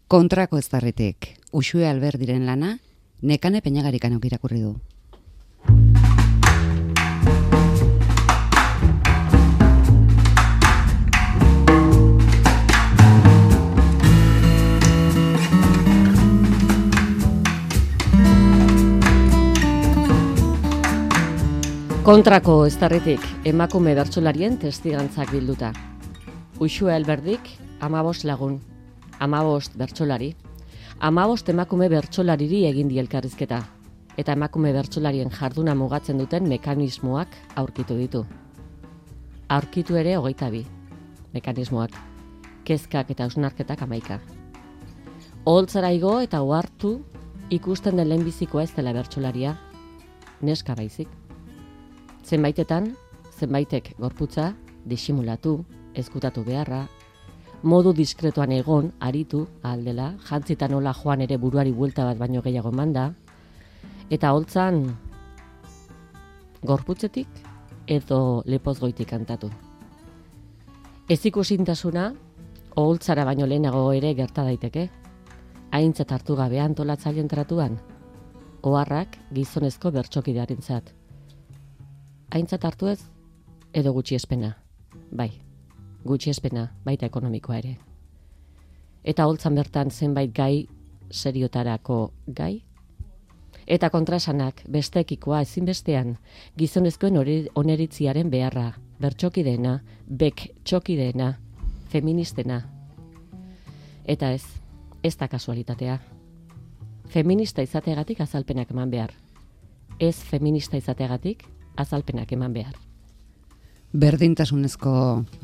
Kontrako eztarritik, Uxue Alberdiren lana, Nekane Peñagarikanok irakurri du. Kontrako eztarritik, emakume bertsolarien testigantzak bilduta. Uxue Alberdik, 15 lagun, 15 bertsolari, 15 emakume bertsolariri egin die elkarrizketa, eta emakume bertsolarien jarduna mugatzen duten mekanismoak aurkitu ditu. Aurkitu ere 22 mekanismoak, kezkak eta hausnarketak 11. Oholtzara igo eta ohartu ikusten den lehenbizikoa ez dela bertsolaria, neska baizik. Zenbaitetan, zenbaitek gorputza, disimulatu, ezkutatu beharra, modu diskretoan egon, aritu, aldela, jantzitan nola joan ere buruari buelta bat baino gehiago manda, eta holtzan gorputzetik edo lepozgoitik kantatu. Ez ikusintasuna, oholtzara baino lehenago ere gerta daiteke, aintzat hartu gabe antolatzaileen tratuan, oharrak gizonezko bertsokidearentzat. Aintzat hartu ez, edo gutxiespena, bai, gutxiespena, baita ekonomikoa ere. Eta holtzan bertan zenbait gai, seriotarako gai, eta kontrasanak bestekikoa ezinbestean, gizonezkoen oneritziaren beharra, bertsokideena, txokideena, feministena. Eta ez da kasualitatea. Feminista izateagatik azalpenak eman behar. Ez feminista izateagatik azalpenak eman behar. Berdintasunezko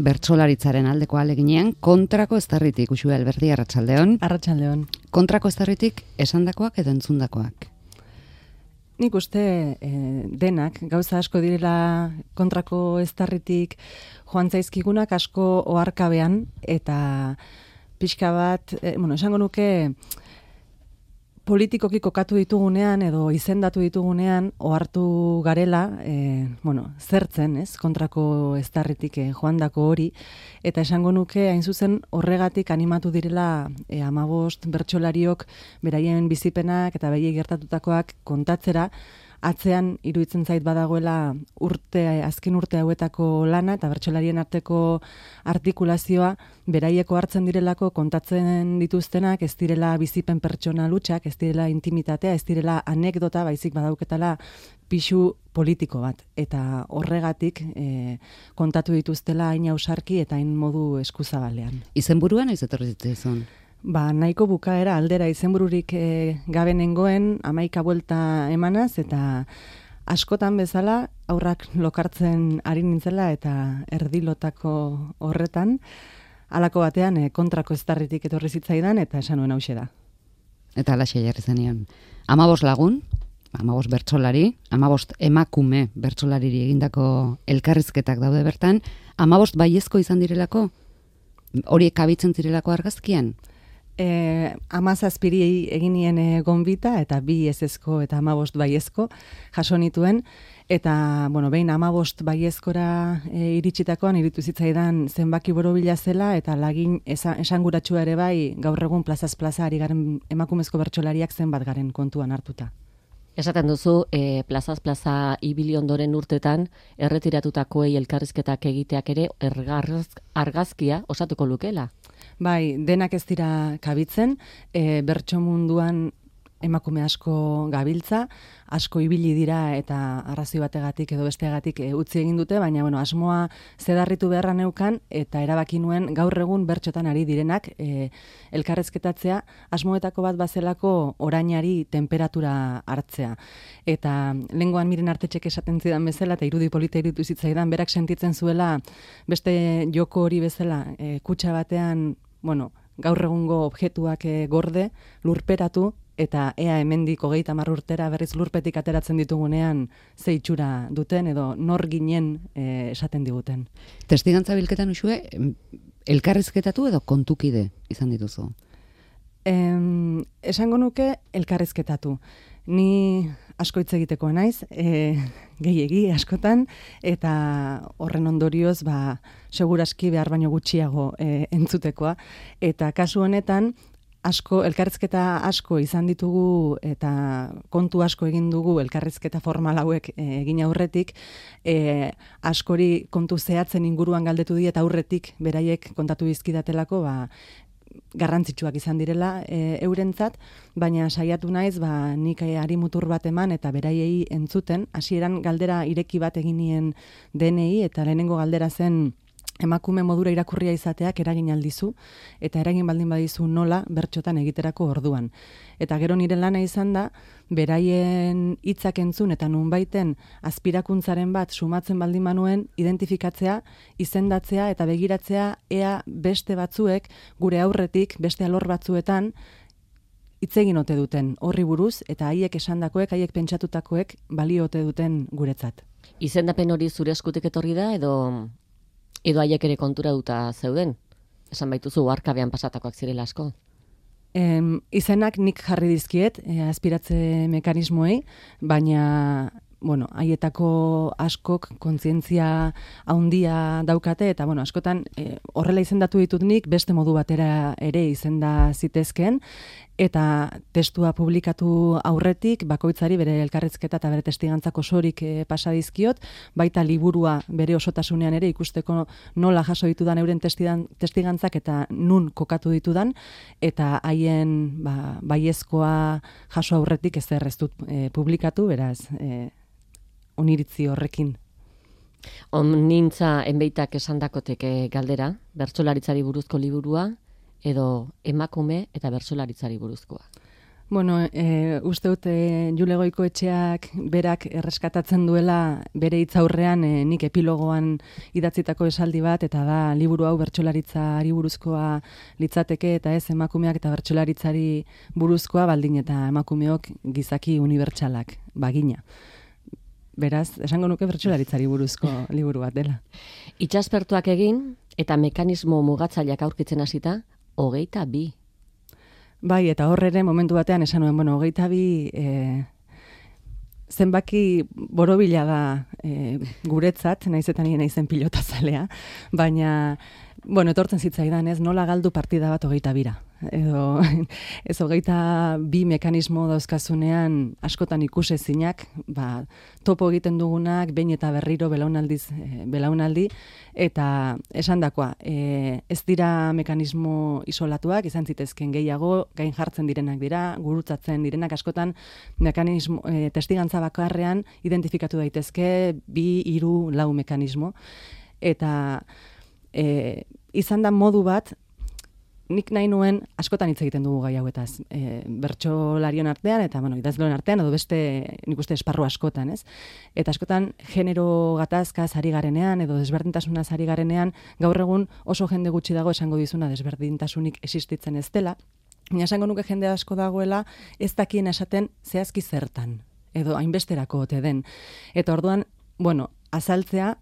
bertsolaritzaren aldeko aleginean, kontrako eztarritik, Uxue Alberdi, arratsaldeon. Arratsaldeon. Kontrako eztarritik esandakoak edo entzundakoak? Nik uste denak, gauza asko direla kontrako eztarritik joan zaizkigunak asko oharkabean, eta pixka bat, esango nuke, politikoki kokatu ditugunean edo izendatu ditugunean ohartu garela, zertzen, kontrako eztarritik joandako hori, eta esango nuke hain zuzen horregatik animatu direla 15 bertsolariok beraien bizipenak eta beraiei gertatutakoak kontatzera, atzean iruditzen zait badagoela azken urte hauetako lana eta bertsolarien arteko artikulazioa beraieko hartzen direlako kontatzen dituztenak, ez direla bizipen pertsonal hutsak, ez direla intimitatea, ez direla anekdota, baizik badauketala pisu politiko bat. Eta horregatik kontatu dituztela hain ausarki eta hain modu eskuzabalean. Izenburua noiz etorri zitzaizun? Nahiko bukaera aldera izenbururik gabe nengoen 11 buelta emanaz, eta askotan bezala aurrak lokartzen ari nintzela eta erdilotako horretan, halako batean kontrako eztarritik etorri zitzaidan eta esan nuen hauxe da. Eta halaxe jarri zenean. 15 lagun, 15 bertsolari, 15 emakume bertsolariri egindako elkarrizketak daude bertan, 15 baiezko izan direlako? Horiek kabitzen zirelako argazkian? 17 egin nien gonbita, eta 2 ezezko eta 15 baiezko jaso nituen, eta behin 15 baiezkora iritsitakoan iritu zitzaidan zenbaki borobila zela, eta lagin esanguratsua ere bai gaur egun plazaz plaza ari garen emakumezko bertsolariak zenbat garen kontuan hartuta. Esaten duzu, plazaz plaza ibili ondoren urtetan, erretiratutakoei elkarrizketak egiteak ere argazkia osatuko lukela? Bai, denak ez dira kabitzen, bertso munduan emakume asko gabiltza, asko ibili dira eta arrazoi bategatik edo besteagatik utzi egin dute, baina asmoa zedarritu beharra neukan eta erabaki nuen gaur egun bertxotan ari direnak elkarrezketatzea, asmoetako bat bazelako orainari temperatura hartzea. Eta lehengoan Miren Artetxek esaten zidan bezala, eta irudi polita iruditu zitzaidan, berak sentitzen zuela beste joko hori bezala, kutxa batean, gaur egungo objektuak gorde, lurperatu, eta ea hemendik 30 urtera berriz lurpetik ateratzen ditugunean ze itxura duten edo nor ginen esaten diguten. Testigantza bilketan, Uxue, elkarrizketatu edo kontukide izan dituzu? Esango nuke elkarrizketatu. Ni asko hitz egiteko naiz, gehiegi askotan, eta horren ondorioz, seguraski behar baino gutxiago entzutekoa. Eta kasu honetan, elkarrizketa asko izan ditugu eta kontu asko egin dugu elkarrizketa formal hauek egin aurretik, askori kontu zehatzen inguruan galdetu die eta aurretik beraiek kontatu dizkidatelako, garrantzitsuak izan direla eurentzat, baina saiatu naiz nik ari mutur bat eman eta beraiei entzuten. Hasieran galdera ireki bat egin nien denei, eta lehenengo galdera zen emakume modura irakurria izateak eragin aldizu, eta eragin baldin badizu nola bertxotan egiterako orduan. Eta gero nire lana izan da, beraien hitzak entzun eta nunbaiten azpirakuntzaren bat sumatzen baldin manuen, identifikatzea, izendatzea eta begiratzea ea beste batzuek gure aurretik, beste alor batzuetan, hitz egin ote duten horri buruz, eta haiek esandakoek, haiek pentsatutakoek balio ote duten guretzat. Izendapen hori zure eskutik etorri da, edo haiek ere kontura duta zeuden? Esan baituzu, arkabean pasatakoak zirela asko. Izenak nik jarri dizkiet, aspiratze mekanismoei, baina haietako askok kontzientzia handia daukate, eta askotan horrela izendatu ditut nik, beste modu batera ere izenda zitezkeen, eta testua publikatu aurretik, bakoitzari bere elkarrizketa eta bere testigantzak osorik pasa dizkiot, baita liburua bere osotasunean ere ikusteko nola jaso ditudan euren testigantzak eta nun kokatu ditudan, eta haien baiezkoa jaso aurretik ezer ez dut publikatu, beraz, oniritzi horrekin. Nintza enbeitak esandakotek galdera, bertsolaritzari buruzko liburua, edo emakume eta bertsolaritzari buruzkoa? Uste dut Jule Goikoetxeak berak erreskatatzen duela bere hitzaurrean nik epilogoan idatzitako esaldi bat, eta da liburu hau bertsolaritzari buruzkoa litzateke eta ez emakumeak eta bertsolaritzari buruzkoa, baldin eta emakumeok gizaki unibertsalak bagina. Beraz, esango nuke bertsolaritzari buruzko liburu bat dela. Itsaspertuak egin eta mekanismo mugatzaileak aurkitzen hasita, 22. Bai, eta hor ere momentu batean esan nuen, 22 zenbaki borobila da guretzat, naizetan nien naizen pilotazalea, baina etortzen zitzaidan, ez, nola galdu partida bat 22. Edo, ez 22 mekanismo dauzkazunean askotan ikusezinak, topo egiten dugunak, behin eta berriro belaunaldi, eta esandakoa, ez dira mekanismo isolatuak, izan zitezken gehiago, gain jartzen direnak dira, gurutzatzen direnak askotan, mekanismo, testigantza bakarrean identifikatu daitezke 2, 3, 4 mekanismo, eta izan da modu bat, nik nahi nuen askotan hitz egiten dugu gai hauetaz, bertsolarion artean eta idazleon artean, edo beste nik uste esparru askotan, ez? Eta askotan genero gatazkaz ari garenean edo desberdintasunaz ari garenean, gaur egun oso jende gutxi dago esango dizuna desberdintasunik existitzen ez dela, baina esango nuke jende asko dagoela ez dakien esaten zehazki zertan, edo hainbesterako ote den. Eta orduan, azaltzea,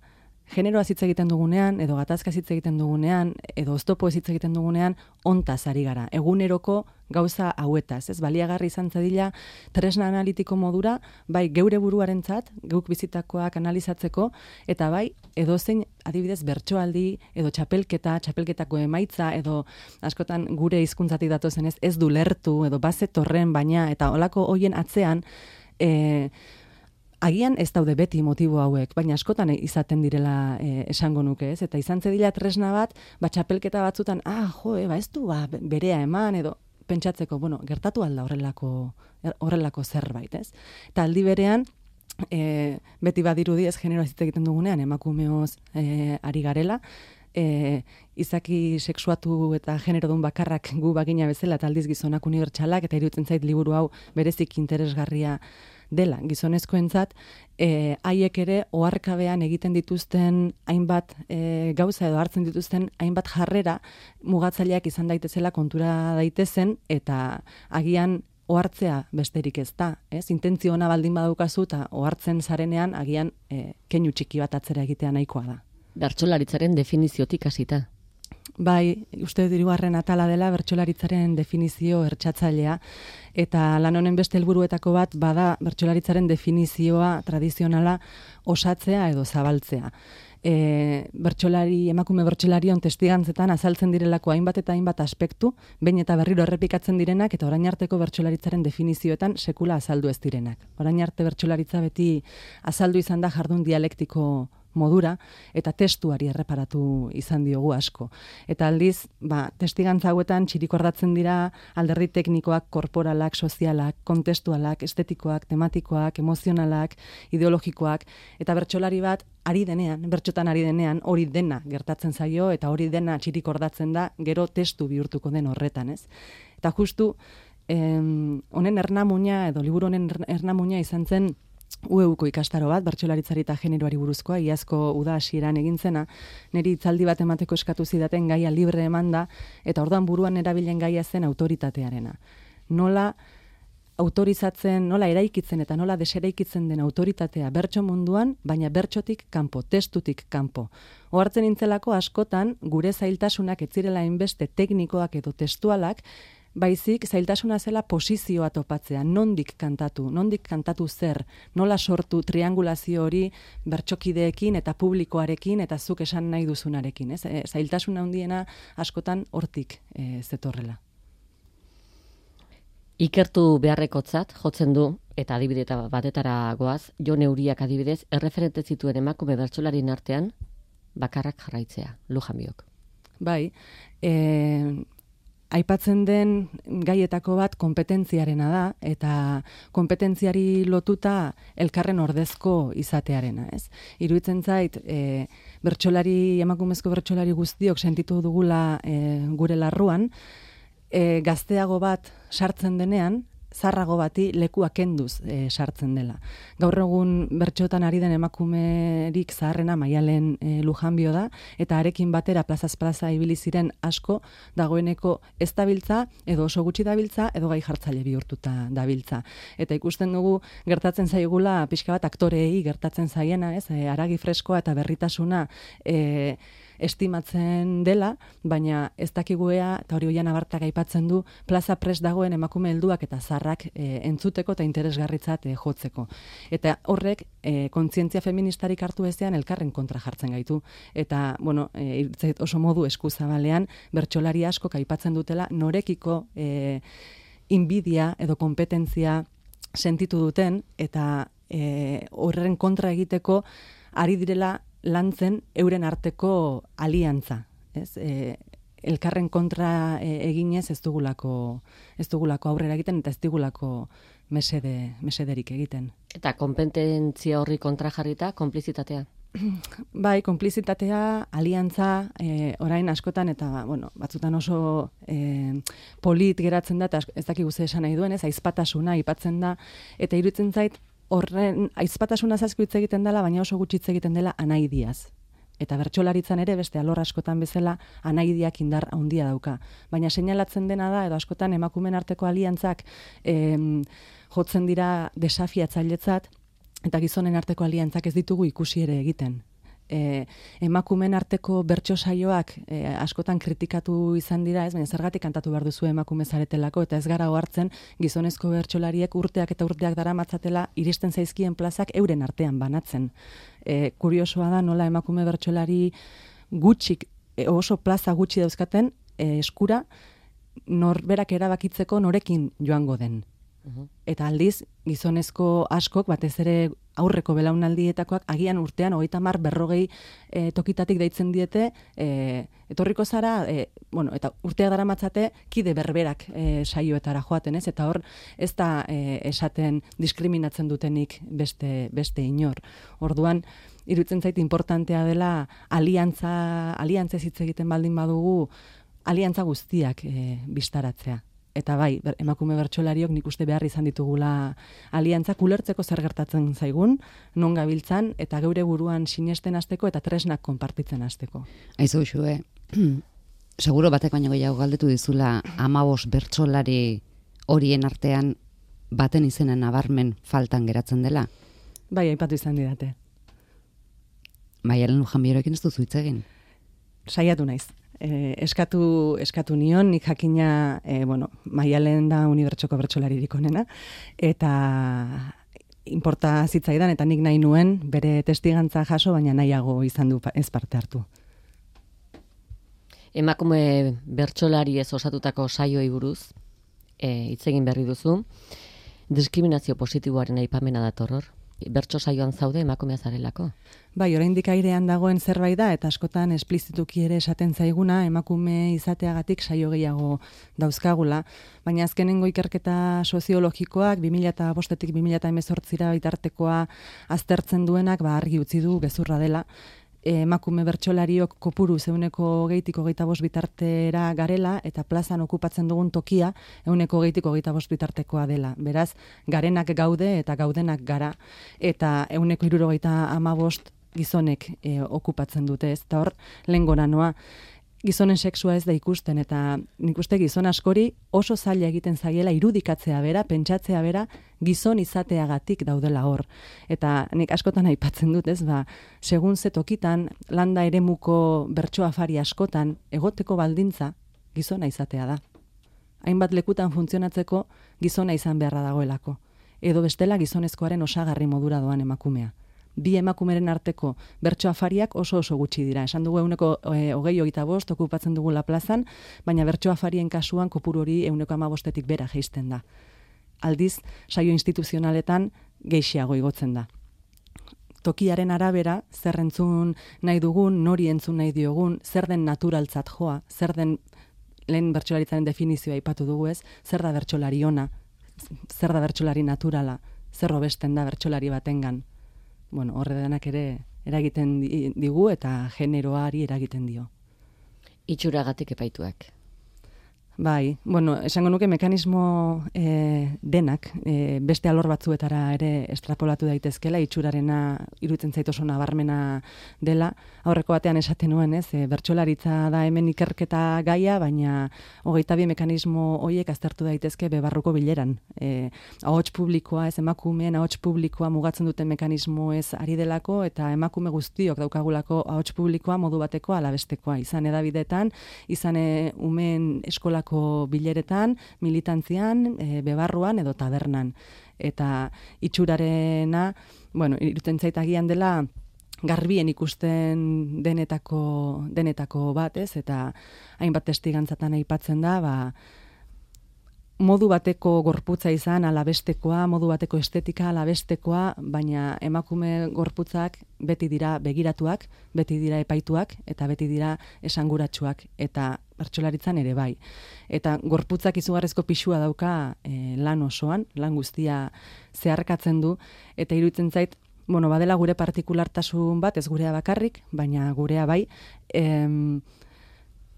generoaz hitz egiten dugunean, edo gatazkaz hitz egiten dugunean, edo oztopoez hitz egiten dugunean, hontaz ari gara. Eguneroko gauza hauetaz, ez? Baliagarri izan zadila tresna analitiko modura, bai geure buruarentzat, geuk bizitakoak analizatzeko, eta bai edozein adibidez bertsoaldi, edo txapelketako emaitza, edo askotan gure hizkuntzatik datozen ez du lertu, edo bazetorren baina, eta olako hoien atzean, agian ez daude beti motibo hauek, baina askotan izaten direla esango nuke, ez? Eta izan zedila tresna bat, txapelketa batzutan, ez du berea eman, edo pentsatzeko, gertatu alda horrelako zerbait, ez? Eta aldi berean, beti badirudi ez genero hitz egiten dugunean, emakumeoz ari garela, izaki sexuatu eta generodun bakarrak gu bagina bezala, eta aldiz gizonak unibertsalak, eta iruditzen zait liburu hau berezik interesgarria dela, gizonezkoentzat, haiek ere oharkabean egiten dituzten hainbat gauza edo hartzen dituzten hainbat jarrera mugatzaileak izan daitezela kontura daitezen, eta agian ohartzea besterik ez da, ez? Intentzio ona baldin badaukazu eta ohartzen zarenean agian keinu txiki bat atzera egitea nahikoa da. Bertsolaritzaren definiziotik hasita. Bai, uste dut 3. atala dela bertsolaritzaren definizio ertxatzailea, eta lan honen beste helburuetako bat bada bertsolaritzaren definizioa tradizionala osatzea edo zabaltzea. emakume bertsolarion testigantzetan azaltzen direlako hainbat eta hainbat aspektu, behin eta berriro errepikatzen direnak eta orain arteko bertsolaritzaren definizioetan sekula azaldu ez direnak. Orain arte bertsolaritza beti azaldu izan da jardun dialektiko modura eta testuari erreparatu izan diogu asko. Eta aldiz, testigantza hauetan txirikordatzen dira alderdi teknikoak, korporalak, sozialak, kontestualak, estetikoak, tematikoak, emozionalak, ideologikoak, eta bertsolari bat bertxotan ari denean, hori dena gertatzen zaio eta hori dena txirikordatzen da gero testu bihurtuko den horretan, ez? Eta justu, honen ernamuina, edo liburu honen ernamuina izan zen UEUko ikastaro bat, bertsolaritzari eta generoari buruzkoa, iazko uda hasieran egin zena, niri hitzaldi bat emateko eskatu zidaten gaia libre emanda, eta orduan buruan erabilen gaia zen autoritatearena. Nola eraikitzen eta nola deseraikitzen den autoritatea bertso munduan, baina bertsotik kanpo, testutik kanpo. Ohartzen nintzelako askotan, gure zailtasunak ez zirela hainbeste teknikoak edo testualak, baizik zailtasuna zela posizioa topatzea, nondik kantatu zer, nola sortu triangulazio hori bertsokideekin eta publikoarekin eta zuk esan nahi duzunarekin. Zailtasuna handiena askotan hortik zetorrela. Ikertu beharrekotzat jotzen du, eta adibide batetara goaz, Jon Euriak adibidez, erreferente zituen emakume bertsolarien artean, bakarrak jarraitzea, Lujan Biok. Bai, aipatzen den gaietako bat konpetentziarena da, eta konpetentziari lotuta elkarren ordezko izatearena, ez? Iruditzen zait, emakumezko bertsolari guztiok sentitu dugula gure larruan, gazteago bat sartzen denean, zarrago bati lekua kenduz sartzen dela. Gaur egun bertxotan ari den emakumerik zaharrena Maialen Lujanbio da, eta harekin batera plazaz plaza ibili ziren asko dagoeneko ez dabiltza, edo oso gutxi dabiltza, edo gai jartzaile bihurtuta dabiltza. Eta ikusten dugu gertatzen zaigula pixka bat aktoreei gertatzen zaiena, ez? Haragi freskoa eta berritasuna estimatzen dela, baina ez dakiguea, eta hori Oiana Bartak aipatzen du, plaza prest dagoen emakume helduak eta zarrak entzuteko eta interesgarritzat jotzeko. Eta horrek kontzientzia feministarik hartu ezean elkarren kontra jartzen gaitu. Eta, oso modu eskuzabalean, bertsolari asko aipatzen dutela norekiko inbidia edo kompetentzia sentitu duten, eta horren kontra egiteko ari direla lantzen euren arteko aliantza, ez? Elkarren kontra eginez ez dugulako aurrera egiten eta ez dugulako mesederik egiten. Eta konpetentzia horri kontra jarrita, konplizitatea? Bai, konplizitatea, aliantza, orain askotan eta, batzutan oso polit geratzen da, eta ez dakigu ze esan nahi duen, ez, aizpatasuna aipatzen da, eta iruditzen zait, horren aizpatasuna asko hitz egiten dela, baina oso gutxi hitz egiten dela anaidiaz. Eta bertsolaritzan ere beste alor askotan bezala anaidiak indar handia dauka. Baina seinalatzen dena da, edo askotan emakumen arteko aliantzak jotzen dira desafiatzailetzat, eta gizonen arteko aliantzak ez ditugu ikusi ere egiten. Emakumen arteko bertso saioak askotan kritikatu izan dira, ez, baina zergatik kantatu behar duzu emakume zaretelako, eta ez gara ohartzen gizonezko bertsolariek urteak eta urteak daramatzatela iristen zaizkien plazak euren artean banatzen. Kuriosoa da nola emakume bertsolari gutxik, oso plaza gutxi dauzkaten eskura norberak erabakitzeko norekin joango den. Eta aldiz, gizonezko askok, batez ere aurreko belaunaldietakoak, agian urtean 30-40 tokitatik deitzen diete, etorriko zara, eta urteak daramatzate kide berberak saioetara joaten, ez? Eta hor, ez da esaten diskriminatzen dutenik beste inor. Orduan, iruditzen zait importantea dela aliantzez hitz egiten baldin badugu, aliantza guztiak bistaratzea. Eta bai, emakume bertsolariok nik uste behar izan ditugula aliantzak ulertzeko zer gertatzen zaigun, non gabiltzan, eta geure buruan sinesten hasteko eta tresnak konpartitzen hasteko. Aizu, Xue, seguro batek baino gehiago galdetu dizula 15 bertsolari horien artean baten izena nabarmen faltan geratzen dela? Bai, aipatu izan didate. Maialen Lujanbiorekin ez duzu hitz egin? Saiatu naiz. Eskatu nion, nik jakina, Maialen da unibertsoko bertsolaririk onena, eta inporta zitzaidan eta nik nahi nuen bere testigantza jaso, baina nahiago izan du ez parte hartu. Emakume bertsolari ez osatutako saioi buruz, hitz egin berri duzu, diskriminazio positiboaren aipamena dator hor. Bertso saioan zaude emakumea zarelako? Bai, oraindik airean dagoen zerbait da, eta askotan esplizituki ere esaten zaiguna, emakume izateagatik saio gehiago dauzkagula, baina azkenengo ikerketa soziologikoak 2005-tik 2018 bitartekoa aztertzen duenak, argi utzi du gezurra dela. Emakume bertsolariok kopuru 120-tik 25 bitartera garela, eta plazan okupatzen dugun tokia 120-tik 25 bitartekoa dela. Beraz, garenak gaude eta gaudenak gara, eta 175 gizonek okupatzen dute, ez? Eta hor, lehen gora noa, gizonen sexua ez da ikusten, eta nik uste gizon askori oso zaila egiten zaiela irudikatzea bera, pentsatzea bera, gizon izateagatik daudela hor. Eta nik askotan aipatzen dut, ez, segun ze tokitan, landa eremuko bertso afari askotan, egoteko baldintza gizona izatea da. Hainbat lekutan funtzionatzeko gizona izan beharra dagoelako. Edo bestela gizonezkoaren osagarri modura doan emakumea. Bi emakumeren arteko bertso afariak oso gutxi dira. Esan dugu 125 okupatzen dugula plazan, baina bertso afarien kasuan kopuru hori 115-tik bera jaisten da. Aldiz, saio instituzionaletan geixiago igotzen da. Tokiaren arabera, zer entzun nahi dugun, nori entzun nahi diogun, zer den naturaltzat joa, zer den lehen bertsolaritzaren definizioa aipatu dugu ez, zer da bertsolari ona, zer da bertsolari naturala, zer hobesten da bertsolari batengan. Bueno, horre denak ere eragiten digu eta generoari eragiten dio. Itxuragatik epaituak. Bai, bueno, esango nuke mekanismo denak beste alor batzuetara ere estrapolatu daitezkela, itxurarena iruditzen zait oso nabarmena dela. Aurreko batean esaten nuen, ez, bertsolaritza da hemen ikerketa gaia, baina 22 mekanismo horiek aztertu daitezke bebarruko bileran. Ahots publikoa, ez, emakumeen ahots publikoa mugatzen duten mekanismo ez ari delako, eta emakume guztiok daukagulako ahots publikoa modu bateko ala bestekoa, izan hedabideetan, izan umeen eskolako bileretan, militantzian, bebarruan edo tabernan. Eta itxurarena, bueno, iruditzen zait agian dela garbien ikusten denetako bat, ez? Eta hainbat testigantzatan aipatzen da, modu bateko gorputza izan alabestekoa, modu bateko estetika alabestekoa, baina emakume gorputzak beti dira begiratuak, beti dira epaituak, eta beti dira esanguratsuak, eta bertsolaritzan ere bai. Eta gorputzak izugarrizko pixua dauka lan osoan, lan guztia zeharkatzen du, eta iruditzen zait, bueno, badela gure partikulartasun bat, ez gurea bakarrik, baina gurea bai,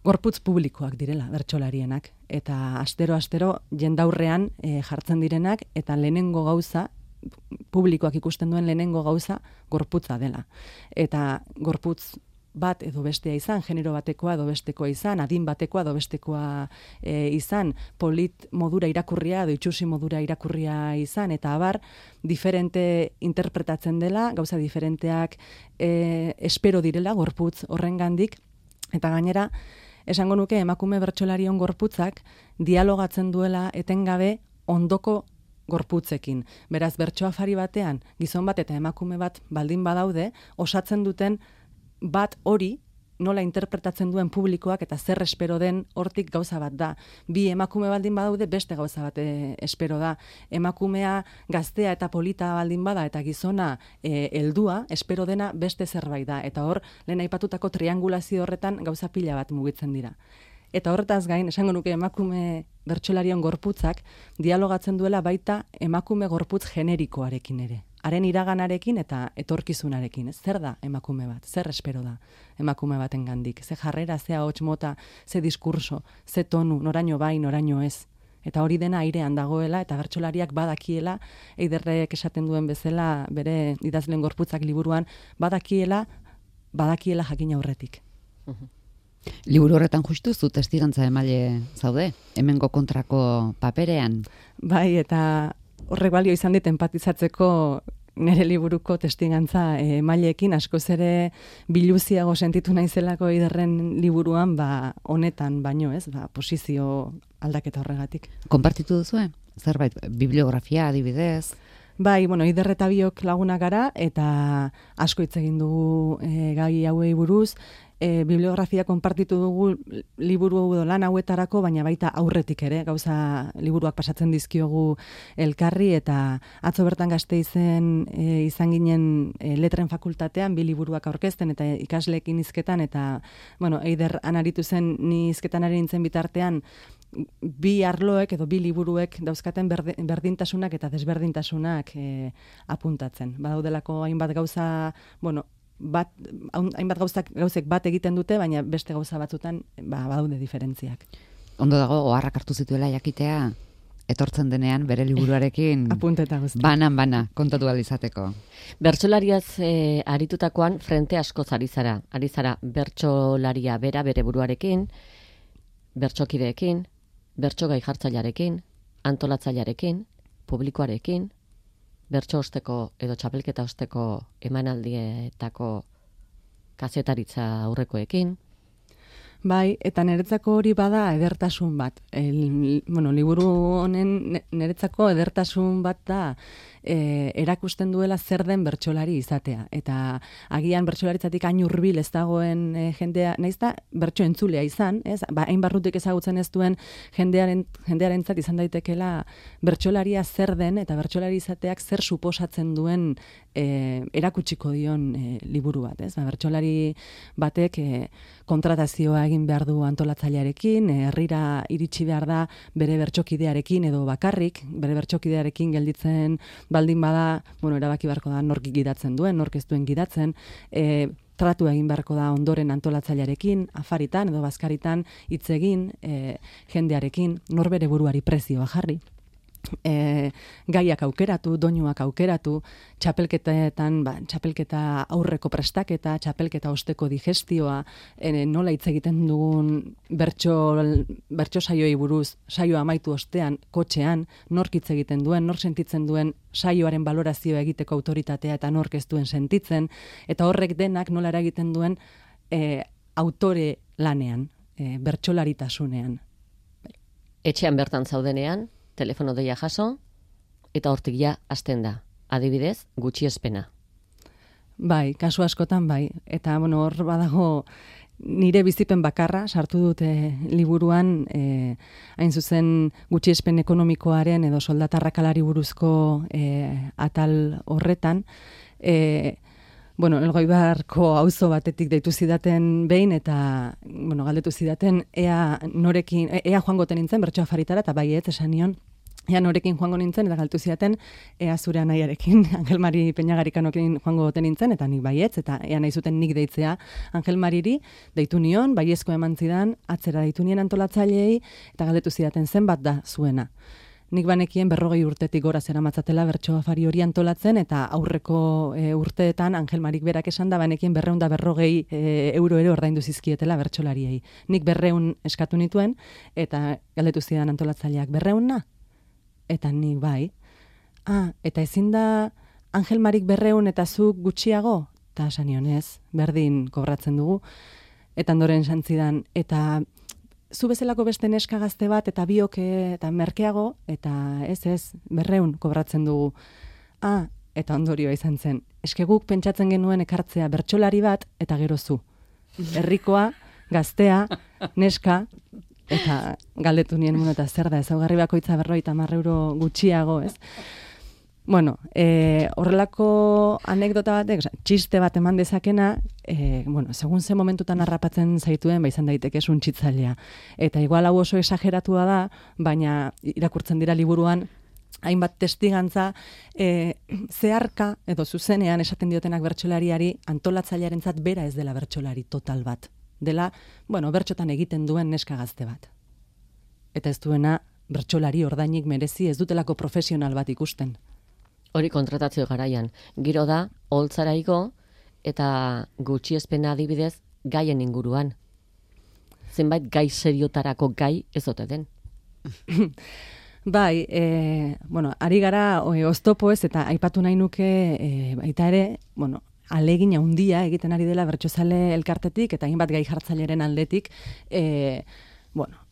gorputz publikoak direla bertsolarienak, eta astero jendaurrean jartzen direnak, eta lehenengo gauza, publikoak ikusten duen lehenengo gauza, gorputza dela. Eta gorputz bat edo bestea izan, genero batekoa edo bestekoa izan, adin batekoa edo bestekoa izan, polit modura irakurria edo itxusi modura irakurria izan, eta abar, diferente interpretatzen dela, gauza diferenteak espero direla gorputz horrengandik, eta gainera, esango nuke emakume bertsolarion gorputzak dialogatzen duela etengabe ondoko gorputzekin. Beraz, bertso afari batean, gizon bat eta emakume bat baldin badaude, osatzen duten bat hori nola interpretatzen duen publikoak eta zer espero den hortik gauza bat da. Bi emakume baldin badaude beste gauza bat espero da. Emakumea gaztea eta polita baldin bada eta gizona heldua espero dena beste zerbait da. Eta hor, lehen aipatutako triangulazio horretan gauza pila bat mugitzen dira. Eta horretaz gain, esango nuke emakume bertsolarion gorputzak dialogatzen duela baita emakume gorputz generikoarekin ere. Haren iraganarekin eta etorkizunarekin. Zer da emakume bat? Zer espero da emakume baten gandik? Ze jarrera, ze ahots mota, ze diskurso, ze tonu, noraino bai, noraino ez. Eta hori dena airean dagoela eta bertsolariak badakiela, Eiderrek esaten duen bezala bere idazleen gorputzak liburuan, badakiela jakin aurretik. Liburu horretan justu zu testigantza emaile zaude, hemengo kontrako paperean. Bai, eta horrek balio izan dit empatizatzeko nire liburuko testigantza emaileekin, askoz ere biluziago sentitu naizelako Eiderren liburuan, honetan baino, ez, posizio aldaketa horregatik. Konpartitu duzue? Zerbait, bibliografia adibidez? Bai, bueno, Eider eta biok lagunak gara, eta asko hitz egin dugu gai hauei buruz, bibliografia konpartitu dugu liburu edo lan hauetarako, baina baita aurretik ere, gauza liburuak pasatzen dizkiogu elkarri, eta atzo bertan Gasteizen izan ginen letren fakultatean, bi liburuak aurkezten, eta ikasleekin hizketan, eta, bueno, Eider anaritu zen, ni hizketan ari nintzen bitartean, bi arloek edo bi liburuek dauzkaten berdintasunak eta desberdintasunak apuntatzen. Badaudelako hainbat gauza, bueno, hainbat gauzek bat egiten dute, baina beste gauza batzutan badaude diferentziak. Ondo dago, oharrak hartu zituela jakitea, etortzen denean bere liburuarekin apunteta guzti. Bana kontatu ahal izateko. Bertsolariaz aritutakoan frente askoz ari zara. Ari zara bertsolaria bera bere buruarekin, bertsokideekin, bertso gai jartzailearekin, antolatzailearekin, publikoarekin, bertso osteko edo txapelketa osteko emanaldietako kazetaritza aurrekoekin. Bai, eta niretzako hori bada edertasun bat. Liburu honen niretzako edertasun bat da erakusten duela zer den bertsolari izatea. Eta agian bertsolaritzatik hain hurbil ez dagoen jendea, naiz da bertso entzulea izan, ez? Hain barrutik ezagutzen ez duen jendearentzat izan daitekela bertsolaria zer den eta bertsolari izateak zer suposatzen duen erakutsiko dion liburu bat, ez? Bertsolari batek kontratazioa egin behar du antolatzailearekin, herrira iritsi behar da bere bertsokidearekin edo bakarrik, bere bertsokidearekin gelditzen baldin bada, erabaki beharko da nork gidatzen duen, nork ez duen gidatzen, tratu egin beharko da ondoren antolatzailearekin, afaritan edo bazkaritan hitz egin jendearekin, nor bere buruari prezioa jarri. Gaiak aukeratu, doinuak aukeratu, txapelketetan, txapelketa aurreko prestaketa, txapelketa osteko digestioa, nola hitz egiten dugun bertso saioei buruz, saioa amaitu ostean, kotxean, nork hitz egiten duen, nork sentitzen duen saioaren balorazioa egiteko autoritatea eta nork ez duen sentitzen, eta horrek denak nola eragiten duen autore lanean, bertsolaritasunean. Etxean bertan zaudenean, telefono deia jaso, eta hortik ja hasten da. Adibidez, gutxiespena. Bai, kasu askotan bai. Eta, hor badago nire bizipen bakarra, sartu dute liburuan, hain zuzen gutxiespen ekonomikoaren edo soldatarrakalari buruzko atal horretan, Elgoibarko auzo batetik deitu zidaten behin, eta, galdetu zidaten, ea joango nintzen bertso afaritara, eta bai esan nion, ea norekin joango nintzen, eta galdetu zidaten, ea zure anaiarekin, Angel Mari Peñagarikanokin joango nintzen, eta nik baietz, eta ea nahi zuten nik deitzea Angel Mariri, deitu nion, baiezko eman zidan, atzera deitu nien antolatzaileei, eta galdetu zidaten zenbat da zuena. Nik banekien 40 urtetik gora zeramatzatela bertso afari hori antolatzen, eta aurreko urteetan Angel Marik berak esan da banekien 240 euro ere ordaindu zizkietela bertsolariei. Nik 200 eskatu nituen, eta galdetu zidan antolatzaileak 200 na? Eta nik bai. Eta ezin da Angel Marik 200 eta zuk gutxiago? Eta sanionez, berdin kobratzen dugu. Eta ondoren santzidan, eta zu bezalako beste neska gazte bat, eta biok eta merkeago, eta ez, 200 kobratzen dugu. Eta ondorioa izan zen. Eske guk pentsatzen genuen ekartzea bertsolari bat, eta gero zu. Herrikoa, gaztea, neska, eta galdetu nien eta zer da, ezaugarri bakoitza 50 euro gutxiago, ez? Horrelako anekdota batek, txiste bat eman dezakena, segun ze momentutan harrapatzen zaituen, izan daiteke suntsitzailea. Eta igual hau oso exageratua da, baina irakurtzen dira liburuan, hainbat testigantza, zeharka edo zuzenean esaten diotenak bertsolariari, antolatzailearentzat bera ez dela bertsolari total bat. Dela, bertxotan egiten duen neska gazte bat. Eta ez duena bertsolari ordainik merezi, ez dutelako profesional bat ikusten. Hori kontratazio garaian. Giro da, holtzara igo, eta gutxiespena adibidez gaien inguruan. Zenbait gai seriotarako gai ez ote den. Bai, ari gara oztopo ez, eta aipatu nahi nuke baita ere, alegin handia egiten ari dela bertsozale elkartetik, eta hainbat gai jartzaileren aldetik,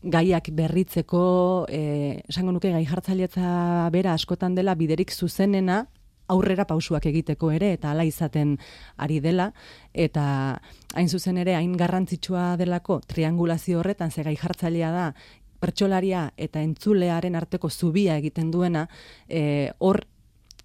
gaiak berritzeko, esango nuke gai jartzailetza bera askotan dela biderik zuzenena aurrera pausuak egiteko ere, eta hala izaten ari dela, eta hain zuzen ere, hain garrantzitsua delako triangulazio horretan, ze gai jartzailea da, bertsolaria eta entzulearen arteko zubia egiten duena, hor,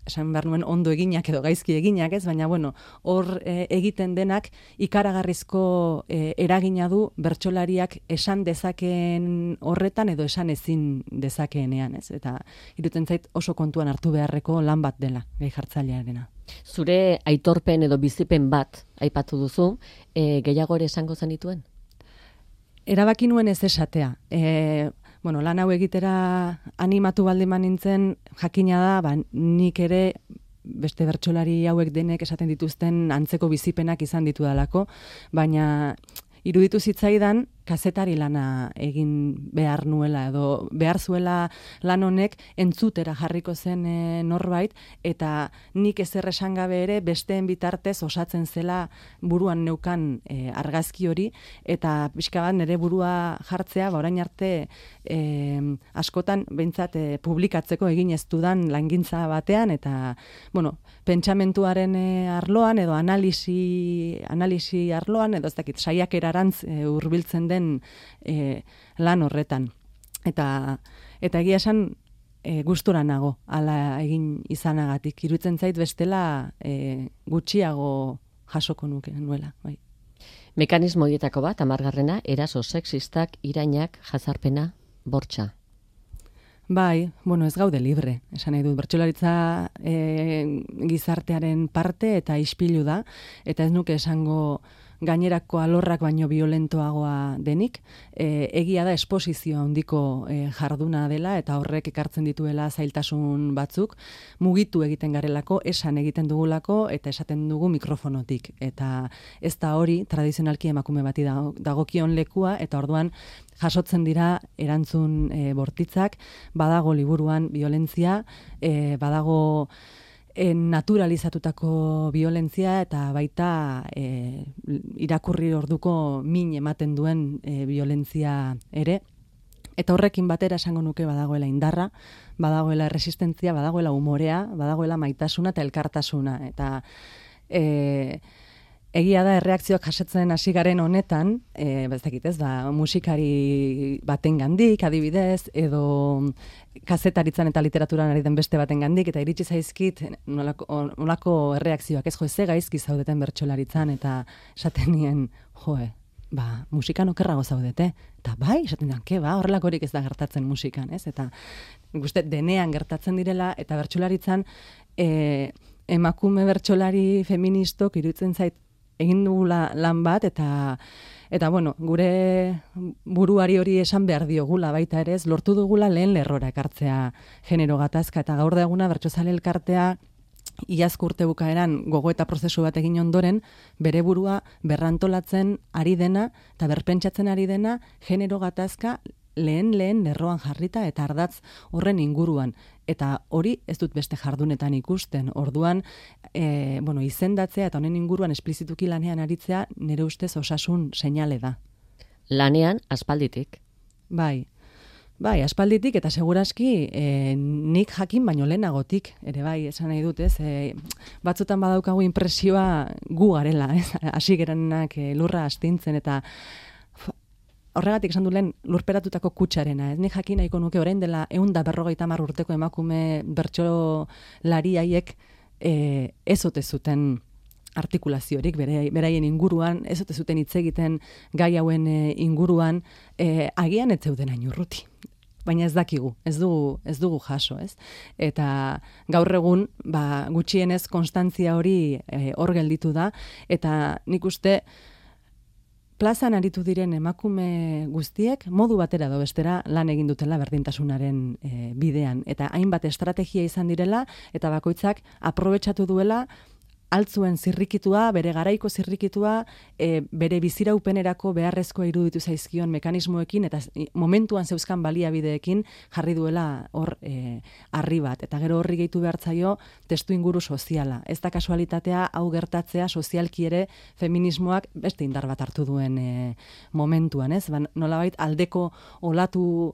esan behar nuen ondo eginak edo gaizki eginak, ez? Baina, bueno, hor egiten denak ikaragarrizko eragina du bertsolariak esan dezakeen horretan edo esan ezin dezakeenean, ez? Eta iruditzen zait oso kontuan hartu beharreko lan bat dela, gai jartzailearena. Zure aitorpen edo bizipen bat aipatu duzu, gehiago ere esango zenituen? Erabaki nuen ez esatea. Bueno, lan hau egitera animatu baldin nintzen, jakina da, nik ere beste bertsolari hauek denek esaten dituzten antzeko bizipenak izan ditudalako, baina iruditu zitzaidan kazetari lana egin behar nuela edo behar zuela lan honek entzutera jarriko zen norbait, eta nik ezer esan gabe ere besteen bitartez osatzen zela buruan neukan argazki hori, eta pixka bat nire burua jartzea, orain arte askotan behintzat publikatzeko egin ez dudan langintza batean, eta bueno, pentsamentuaren arloan edo analisi arloan edo ez dakit saiakerarantz hurbiltzen den lan horretan. Eta egia esan gustura nago hala egin izanagatik. Iruditzen zait bestela gutxiago jasoko nuke nuela. Bai. Mekanismo horietako bat, 10. eraso sexistak, irainak, jazarpena, bortxa. Bai, bueno, ez gaude libre, esan nahi dut. Bertsolaritza gizartearen parte eta ispilu da, eta ez nuke esango gainerako alorrak baino violentoagoa denik. Egia da esposizio handiko jarduna dela, eta horrek ekartzen dituela zailtasun batzuk, mugitu egiten garelako, esan egiten dugulako, eta esaten dugu mikrofonotik. Eta ez da hori tradizionalki emakume bati dagokion lekua, eta orduan jasotzen dira erantzun bortitzak, badago liburuan violentzia, badago naturalizatutako violentzia, eta baita irakurri orduko min ematen duen violentzia ere. Eta horrekin batera esango nuke badagoela indarra, badagoela resistentzia, badagoela umorea, badagoela maitasuna eta elkartasuna. Eta egia da erreakzioak jasotzen hasi garen honetan, ez dakit ez, musikari batengandik adibidez, edo kazetaritzan eta literaturan ari den beste batengandik, eta iritsi zaizkit nolako erreakzioak, ez ze gaizki zaudeten bertsolaritzan, eta esaten nien, musikan okerrago zaudete. Eta bai, esaten nien, horrelakorik ez da gertatzen musikan, ez? Eta guzti denean gertatzen direla, eta bertsolaritzan emakume bertsolari feministok iruditzen zait egin dugula lan bat, eta bueno, gure buruari hori esan behar diogula baita ere, lortu dugula lehen lerrora ekartzea genero gatazka, eta gaur da eguna bertsozale elkartea iazko urte bukaeran gogoeta prozesu bat egin ondoren, bere burua berrantolatzen ari dena, eta berpentsatzen ari dena genero gatazka lehen lerroan jarrita eta ardatz horren inguruan. Eta hori ez dut beste jardunetan ikusten. Orduan, izendatzea eta honen inguruan esplizituki lanean aritzea nire ustez osasun seinale da. Lanean aspalditik. Bai, aspalditik eta seguraski nik jakin baino lehenagotik, ere bai, esan nahi dut, ez? Batzutan badaukagu inpresioa gu garela, ez? Hasi gerenak lurra astintzen, eta horregatik esan du lehen lurperatutako kutsarena. Ez nik jakin nahiko nuke orain dela 150 urteko emakume bertsolari haiek ez ote zuten artikulaziorik beraien inguruan, ez ote zuten hitz egiten gai hauen inguruan, agian ez zeuden hain urruti. Baina ez dakigu, ez dugu jaso, ez? Eta gaur egun, gutxienez konstantzia hori hor gelditu da, eta nik uste plazan aritu diren emakume guztiek modu batera edo bestera lan egin dutela berdintasunaren bidean. Eta hainbat estrategia izan direla, eta bakoitzak aprobetxatu duela altzuen zirrikitua, bere garaiko zirrikitua, bere biziraupenerako beharrezkoa iruditu zaizkion mekanismoekin, eta momentuan zeuzkan baliabideekin jarri duela hor harri bat. Eta gero horri gehitu behartzaio testu inguru soziala. Ez da kasualitatea hau gertatzea sozialki ere feminismoak beste indar bat hartu duen momentuan, ez? Nolabait aldeko olatu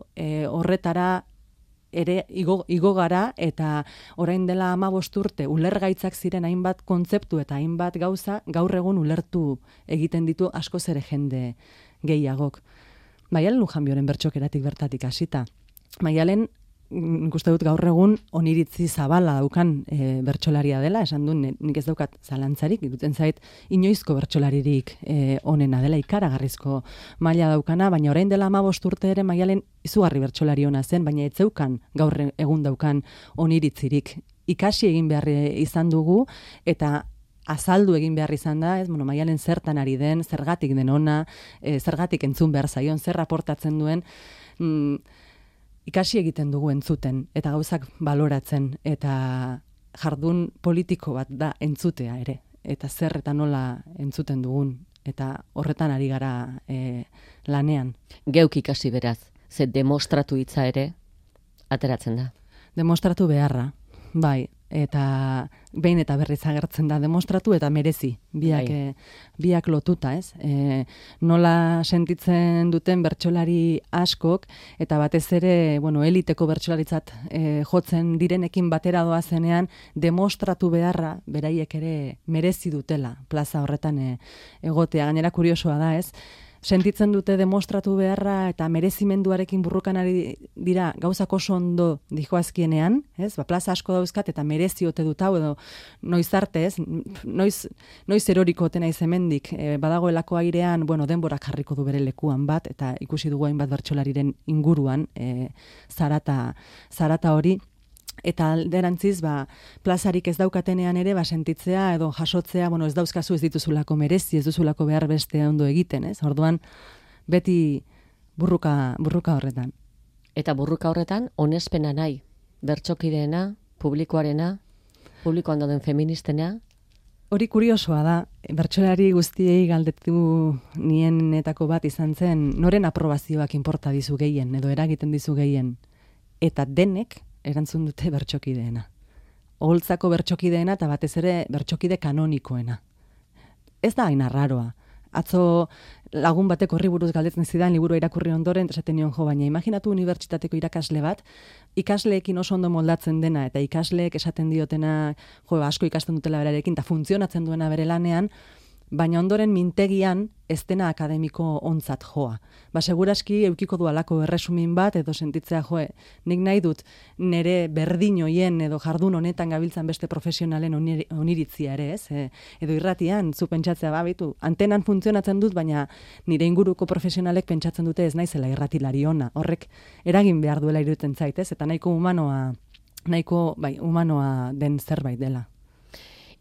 horretara ere igo gara, eta orain dela 15 urte ulergaitzak ziren hainbat kontzeptu eta hainbat gauza gaur egun ulertu egiten ditu askoz ere jende gehiagok. Maialen Lujanbioren bertxokeratik bertatik hasita. Maialen, ikuste dut gaur egun oniritzi zabala daukan bertsolaria dela, esan du nik ez daukat zalantzarik, irutzen zait inoizko bertsolaririk onena dela, ikaragarrizko maila daukana, baina orain dela 15 urte ere Maialen izugarri bertsolari ona zen, baina ez zeukan gaur egun daukan oniritzirik. Ikasi egin behar izan dugu, eta azaldu egin behar izan da, Maialen zertan ari den, zergatik den ona, zergatik entzun behar zaion, zer raportatzen duen, ikasi egiten dugu entzuten, eta gauzak baloratzen, eta jardun politiko bat da entzutea ere, eta zer eta nola entzuten dugun, eta horretan ari gara lanean. Geuk ikasi beraz, ze demostratu hitza ere ateratzen da. Demostratu beharra, bai, eta behin eta berriz agertzen da demostratu eta merezi, biak lotuta, ez? Nola sentitzen duten bertsolari askok, eta batez ere, eliteko bertsolaritzat jotzen direnekin batera doazenean, demostratu beharra beraiek ere merezi dutela plaza horretan egotea. Gainera kuriosoa da, ez? Sentitzen dute demostratu beharra eta merezimenduarekin burrukan ari dira gauzak oso ondo dijoazkienean, ez? Plaza asko dauzkat eta mereziote dut hau, edo noiz arte, ez? Noiz eroriko ote naiz hemendik, badagoelako airean, denborak jarriko du bere lekuan bat, eta ikusi dugu hainbat bertsolariren inguruan zarata hori. Eta alderantziz, plazarik ez daukatenean ere, sentitzea edo jasotzea, ez dauzkazu ez dituzulako merezi, ez duzulako behar beste ondo egiten, ez? Orduan, beti burruka horretan. Eta burruka horretan, onespena nahi, bertsokideena, publikoarena, publikoan dauden feministena. Hori kuriosoa da, bertsolari guztiei galdetu nienetako bat izan zen, noren aprobazioak inporta dizu gehien, edo eragiten dizu gehien, eta denek, erantzun dute bertsokideena. Oholtzako bertsokideena eta batez ere bertsokide kanonikoena. Ez da hain arraroa. Atzo lagun batek horri buruz galdetzen zidan liburua irakurri ondoren, esaten nion baina imaginatu unibertsitateko irakasle bat, ikasleekin oso ondo moldatzen dena, eta ikasleek esaten diotena, asko ikasten dutela berarekin, eta funtzionatzen duena bere lanean, baina ondoren mintegian ez dena akademiko ontzat joa. Seguraski eukiko du alako erresumin bat, edo sentitzea nik nahi dut nire berdin hoien edo jardun honetan gabiltzan beste profesionalen oniritzia ere, ez? Edo irratian, zu pentsatzea bitu, antenan funtzionatzen dut, baina nire inguruko profesionalek pentsatzen dute ez naizela irratilari ona. Horrek eragin behar duela iruditzen zait, ez? Eta nahiko humanoa den zerbait dela.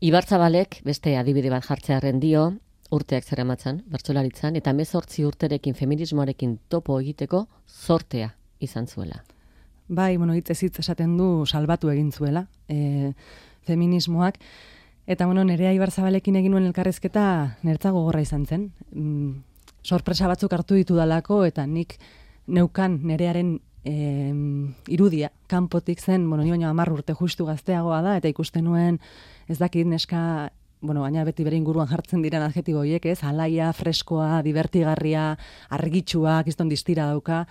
Ibartzabalek beste adibide bat jartzearen dio, urteak zeramatzan, bertsolaritzan, eta 18 urterekin feminismoarekin topo egiteko zortea izan zuela. Bai, hitz esaten du salbatu egin zuela feminismoak, eta nerea Ibarzabalekin egin nuen elkarrezketa nertza gogorra izan zen. Sorpresa batzuk hartu ditu dalako, eta nik neukan nerearen irudia, kanpotik zen, ni baino 10 urte justu gazteagoa da, eta ikusten nuen, ez dakit neska, baina beti bere inguruan jartzen diren adjektibo horiek, ez? Alaia, freskoa, divertigarria, argitsua, kiston distira dauka,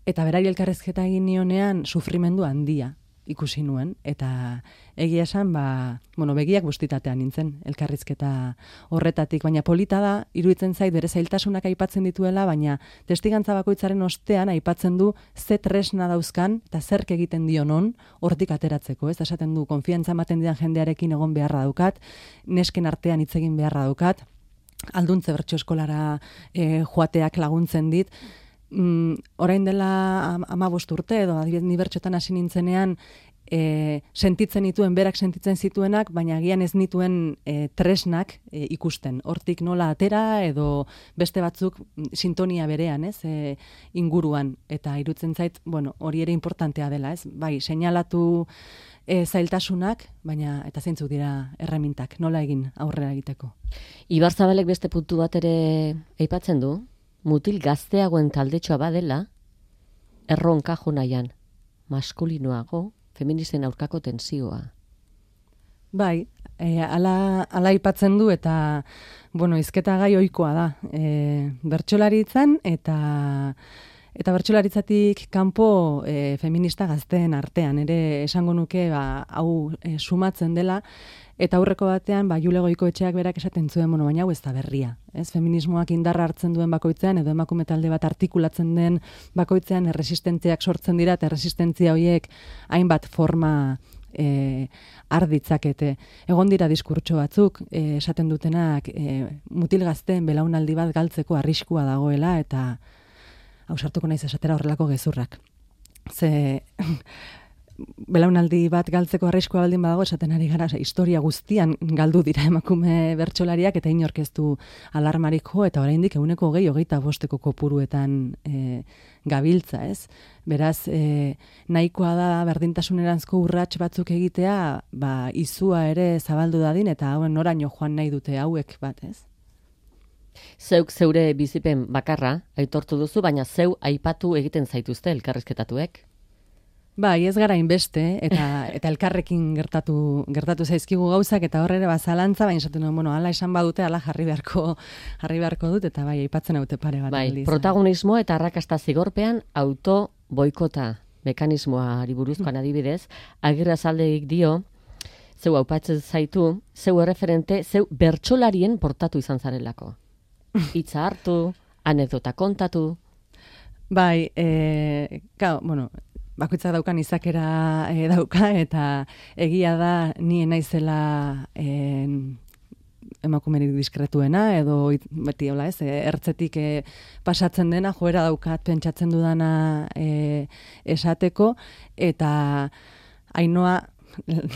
eta berari elkarrezketa egin nionean sufrimendu handia ikusi nuen, eta egia esan, begiak bustitatean nintzen elkarrizketa horretatik, baina polita da, iruditzen zait bere zailtasunak aipatzen dituela, baina testigantza bakoitzaren ostean aipatzen du ze tresna dauzkan, eta zerk egiten dionon hortik ateratzeko, ez? Esaten du, konfiantza ematen didan jendearekin egon beharra daukat, nesken artean hitz egin beharra daukat, alduntze bertso eskolara joateak laguntzen dit, orain dela 15 urte edo adibidez ni bertsotan hasi nintzenean sentitzen nituen, berak sentitzen zituenak, baina agian ez nituen tresnak ikusten. Hortik nola atera edo beste batzuk sintonia berean, ez? Inguruan, eta irutzen zait, hori ere importantea dela, ez? Bai, seinalatu zailtasunak, baina eta zeintzuk dira erremintak, nola egin aurrera egiteko. Ibarzabalek beste puntu bat ere aipatzen du, mutil gazteagoen taldetxoa badela, erronka jo nahian, maskulinoago, feministen aurkako tensioa. Bai, ala aipatzen du, eta, hizketa gai ohikoa da. Bertsolaritzan, eta Eta bertsolaritzatik kanpo feminista gazteen artean, ere esango nuke hau sumatzen dela, eta aurreko batean, Jule Goikoetxeak berak esaten zuen, baina hau ez da berria. Ez? Feminismoak indarra hartzen duen bakoitzean, edo emakume talde bat artikulatzen den bakoitzean, erresistentziak sortzen dira, eta erresistentzia horiek hainbat forma har ditzakete. Egon dira diskurtso batzuk, esaten dutenak, mutil gazteen belaunaldi bat galtzeko arriskua dagoela, eta ausartuko naiz esatera horrelako gezurrak. Ze belaunaldi bat galtzeko arriskua baldin badago, esaten ari gara, historia guztian galdu dira emakume bertsolariak, eta inork ez du alarmarik jo, eta oraindik 125 kopuruetan gabiltza, ez? Beraz, nahikoa da berdintasuneranzko urrats batzuk egitea, izua ere zabaldu dadin, eta noraino joan nahi dute hauek bat, ez? Zeuk zeure bizipen bakarra aitortu duzu, baina zeu aipatu egiten zaituzte elkarrizketatuek? Ez gara inbeste, eta elkarrekin gertatu zaizkigu gauzak, eta horre ere zalantza, baina esaten duen, ala esan badute, ala jarri beharko dut, eta aipatzen haute pare bat. Protagonismo eta arrakasta zigorpean auto boikota mekanismoari buruzkoan adibidez, Agirrezaldegik dio, zeu aupatzen zaitu, zeu erreferente, zeu bertsolarien portatu izan zarelako. Hitza hartu, anekdota kontatu. Bakoitzak daukan izakera dauka, eta egia da ni naizela emakumerik diskretuena, edo beti hola ez, ertzetik pasatzen dena, joera daukat pentsatzen dudana esateko, eta Ainoa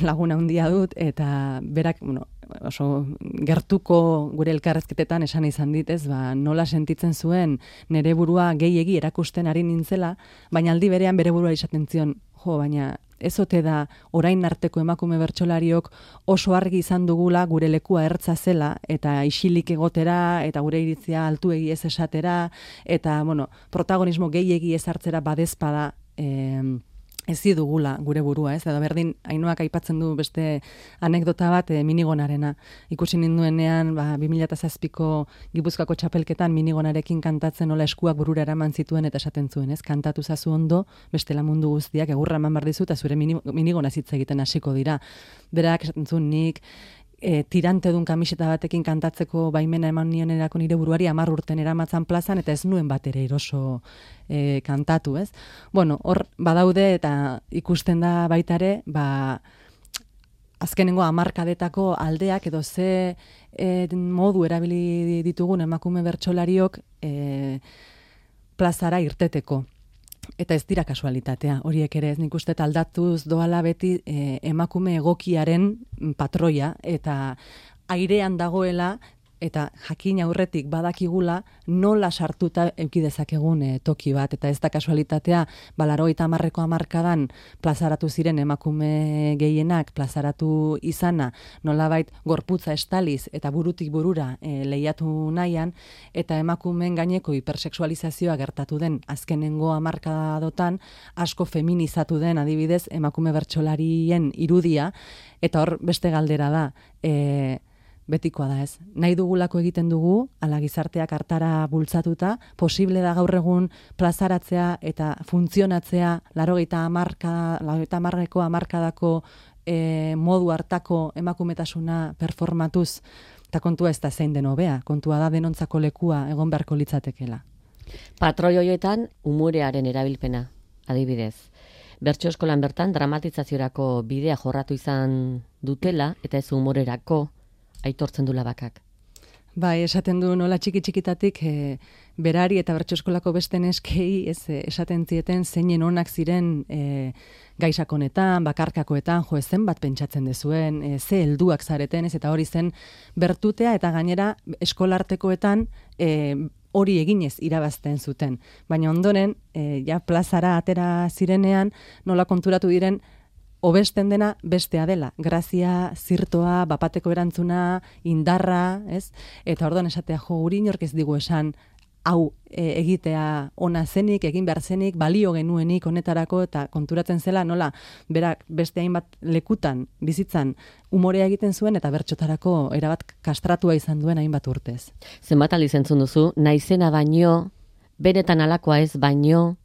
laguna handia dut, eta berak, oso gertuko gure elkarrezketetan esan izan dit, nola sentitzen zuen nere burua gehiegi erakusten ari nintzela, baina aldi berean bere burua izaten zion, baina ez ote da orain arteko emakume bertsolariok oso argi izan dugula gure lekua ertza zela, eta isilik egotera, eta gure iritzia altuegi ez esatera, eta, protagonismo gehiegi ez hartzera badezpada ezi dugula gure burua, ez? Edo berdin, Ainoak aipatzen du beste anekdota bat Minigonarena. Ikusi ninduenean, 2007ko Gipuzkoako txapelketan Minigonarekin kantatzen nola eskuak burura eraman zituen eta esaten zuen, ez? Kantatu zazu ondo, bestela mundu guztiak egurra eman behar dizu, eta zure Minigonaz hitz egiten hasiko dira. Berak esaten zuen nik, tirantedun kamiseta batekin kantatzeko baimena eman nionerako nire buruari 10 urten eramatzan plazan, eta ez nuen bat ere eroso kantatu, ez? Hor badaude, eta ikusten da baita ere, azkenengo hamarkadetako aldeak, edo ze modu erabili ditugun emakume bertsolariok plazara irteteko. Eta ez dira kasualitatea, horiek ere ez, nik uste aldatuz doala beti emakume egokiaren patroia, eta airean dagoela, eta jakin aurretik badakigula nola sartuta eduki dezakegun toki bat, eta ez da kasualitatea, 80ko hamarkadan plazaratu ziren emakume gehienak, plazaratu izana, nolabait gorputza estaliz eta burutik burura lehiatu nahian, eta emakumeen gaineko hipersexualizazioa gertatu den azkenengo hamarkadotan, asko feminizatu den adibidez emakume bertsolarien irudia, eta hor beste galdera da, betikoa da ez. Nahi dugulako egiten dugu, ala gizarteak hartara bultzatuta, posible da gaur egun plazaratzea eta funtzionatzea 80ko hamarkadako modu hartako emakumetasuna performatuz, eta kontua ez da zein den hobea, kontua da denontzako lekua egon beharko litzatekela. Patroi horietan umorearen erabilpena, adibidez. Bertso eskolan bertan dramatizazioarako bidea jorratu izan dutela, eta ez umorerako aitortzen dula bakak. Esaten du nola txiki-txikitatik berari eta bertso eskolako beste neskei esaten zieten zeinen onak ziren gaisakonetan, bakarkakoetan, zenbat pentsatzen dezuen, ze helduak zareten, eta hori zen bertutea, eta gainera eskolartekoetan hori eginez irabazten zuten. Baina ondoren, plazara atera zirenean, nola konturatu diren, hobesten dena bestea dela. Grazia, zirtoa, bapateko erantzuna, indarra, ez? Eta orduan esatea, guri inork ez digu esan, hau egitea ona zenik, egin behar zenik, balio genuenik honetarako, eta konturatzen zela, nola, berak beste hainbat lekutan, bizitzan, umorea egiten zuen, eta bertsotarako erabat kastratua izan duen hainbat urtez. Zenbat aldiz entzun duzu, naizena baino benetan alakoa ez baino?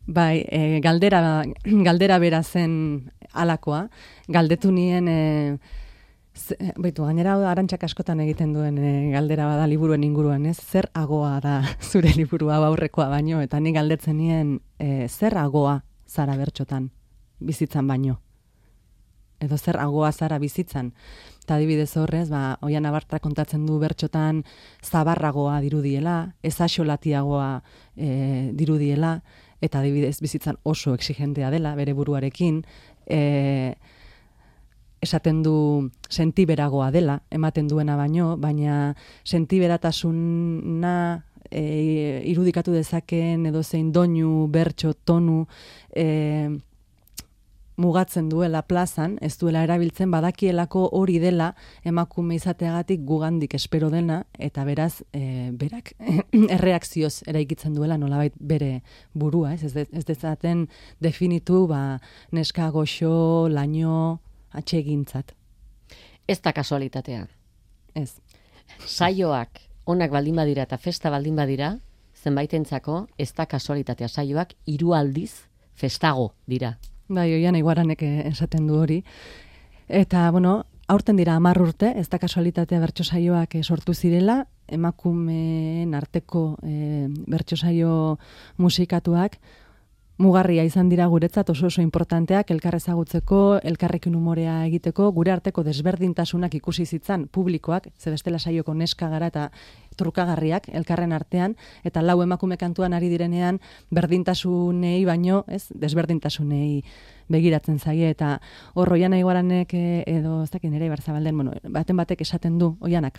Bai, galdera bera zen alakoa. Galdetu nien, gainera Arantxak askotan egiten duen galdera bada liburuen inguruan, ez? Zer agoa da zure liburua aurrekoa baino, eta nik galdetzen nien zer agoa zara bertxotan, bizitzan baino. Edo zer agoa zara bizitzan. Eta adibidez horrez, Oian Abartra kontatzen du bertxotan zabarragoa dirudiela, ezaxolatiagoa dirudiela, eta adibidez bizitzan oso exigentea dela, bere buruarekin, esaten du sentiberagoa dela, ematen duena baino, baina sentiberatasuna irudikatu dezakeen edo zein doinu, bertso, tonu, mugatzen duela plazan, ez duela erabiltzen, badakielako hori dela emakume izateagatik gugandik espero dena, eta beraz, berak erreakzioz eraikitzen duela nolabait bere burua, ez dezaten definitu neska goxo, laino, atsegintzat. Ez da kasualitatea. Ez. Saioak onak baldin badira eta festa baldin badira, zenbaitentzako ez da kasualitatea, saioak 3 aldiz festago dira. Bai, Oian Iguaranek esaten du hori. Eta, aurten dira 10 urte, ez da kasualitatea bertso saioak sortu zirela, emakumeen arteko bertso saio musikatuak, mugarria izan dira guretzat oso importanteak, elkar ezagutzeko, elkarrekin umorea egiteko, gure arteko desberdintasunak ikusi zitzan publikoak, ze bestela saioko neska gara eta trukagarriak elkarren artean, eta 4 emakume kantuan ari direnean berdintasunei baino, ez, desberdintasunei begiratzen zaie, eta hor Oiana Iguaranek edo, ez dakit nire Ibarzabalden, baten batek esaten du, Oianak,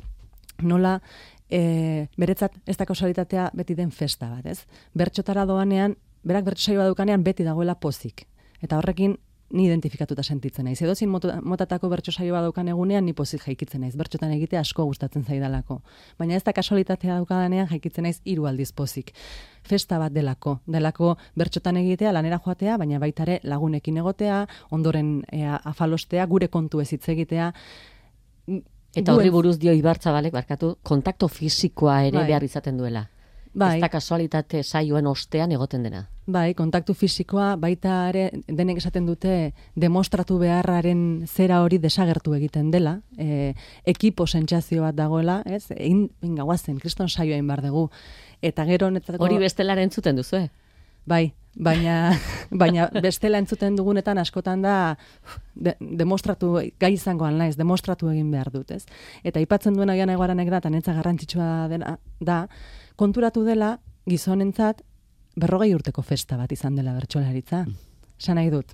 nola beretzat ez da kasualitatea beti den festa bat, ez? Bertxotara doanean, berak bertso saioa daukanean beti dagoela pozik. Eta horrekin ni identifikatuta sentitzen naiz. Edozin motatako bertso saioa daukan egunean ni pozik jaikitzen naiz. Bertxotan egitea asko gustatzen zaidalako. Baina ez da kasualitatea daukadanean jaikitzen naiz 3 aldiz pozik. Festa bat delako bertxotan egitea, lanera joatea, baina baita ere lagunekin egotea, ondoren afalostea, gure kontu ez hitz egitea. Eta horri buruz dio Ibartzabalek, barkatu, kontakto fisikoa ere behar izaten duela. Bai. Ez da kasualitate saioen ostean egoten dena. Bai, kontaktu fisikoa baita ere denek esaten dute demostratu beharraren zera hori desagertu egiten dela, ekipo sentsazio bat dagoela, ez? Egin gagoazen, kriston saioa egin behar dugu. Eta gero honetako hori bestelaren entzuten duzu, Bai, baina bestela entzuten dugunetan askotan da demostratu gai izangoan naiz, demostratu egin behar dut, ez? Eta aipatzen duena Oiana Iguaranek da, eta netza garrantzitsua da, konturatu dela gizonentzat 40 urteko festa bat izan dela bertsolaritza. Esan nahi dut.